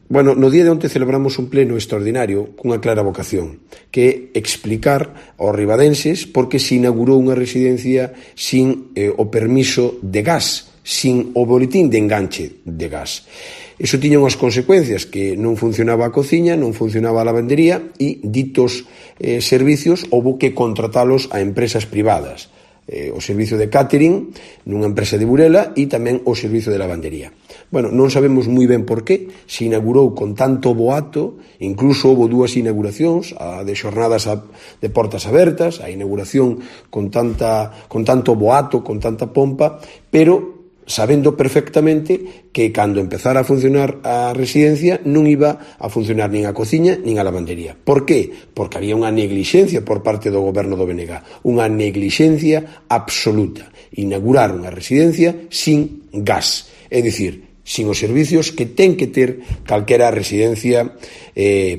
Bueno, no día de onte celebramos un pleno extraordinario cunha clara vocación, que é explicar aos ribadenses por que se inaugurou unha residencia sin o permiso de gas, sin o boletín de enganche de gas. Iso tiña unhas consecuencias, que non funcionaba a cociña, non funcionaba a lavandería e ditos servicios houbo que contratalos a empresas privadas. O servicio de catering nunha empresa de Burela e tamén o servicio de lavandería. Bueno, non sabemos moi ben por qué se inaugurou con tanto boato, incluso houve dúas inauguracións, a de xornadas de portas abertas, a inauguración con tanto boato, con tanta pompa, pero sabendo perfectamente que cando empezara a funcionar a residencia non iba a funcionar nin a cociña nin a lavandería. Por qué? Porque había unha neglixencia por parte do goberno do BNG, unha neglixencia absoluta. Inauguraron a residencia sin gas, é dicir, sin os servicios que ten que ter calquera residencia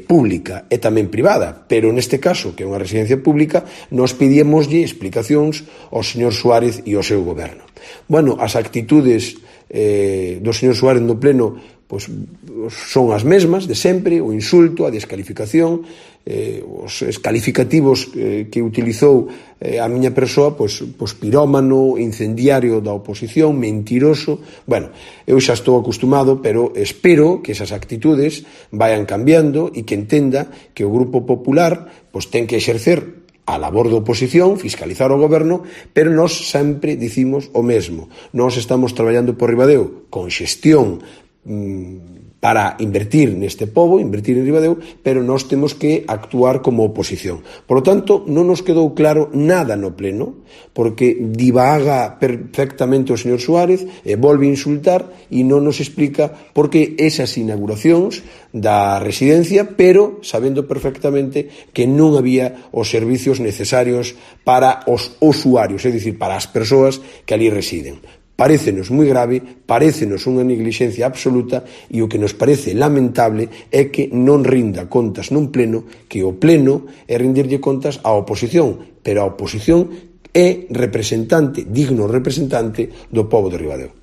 pública e tamén privada, pero neste caso, que é unha residencia pública, nos pedíamoslle explicacións ao señor Suárez e ao seu goberno. Bueno, as actitudes do señor Suárez no pleno pois son as mesmas de sempre, o insulto, a descalificación, os calificativos que utilizou a miña persoa, pois pirómano, incendiario da oposición, mentiroso. Bueno, eu xa estou acostumado, pero espero que esas actitudes vayan cambiando e que entenda que o Grupo Popular pois ten que exercer a labor da oposición, fiscalizar o goberno, pero nós sempre dicimos o mesmo. Nós estamos traballando por Ribadeo con xestión para invertir neste pobo, invertir en Ribadeo, pero nós temos que actuar como oposición. Por lo tanto, non nos quedou claro nada no pleno, porque divaga perfectamente o señor Suárez e volve a insultar e non nos explica por que esas inauguracións da residencia, pero sabendo perfectamente que non había os servicios necesarios para os usuarios, é dicir, para as persoas que ali residen. Parécenos moi grave, parécenos unha neglixencia absoluta e o que nos parece lamentable é que non rinda contas nun pleno, que o pleno é rendirlle contas á oposición, pero a oposición é representante, digno representante do pobo de Ribadeo.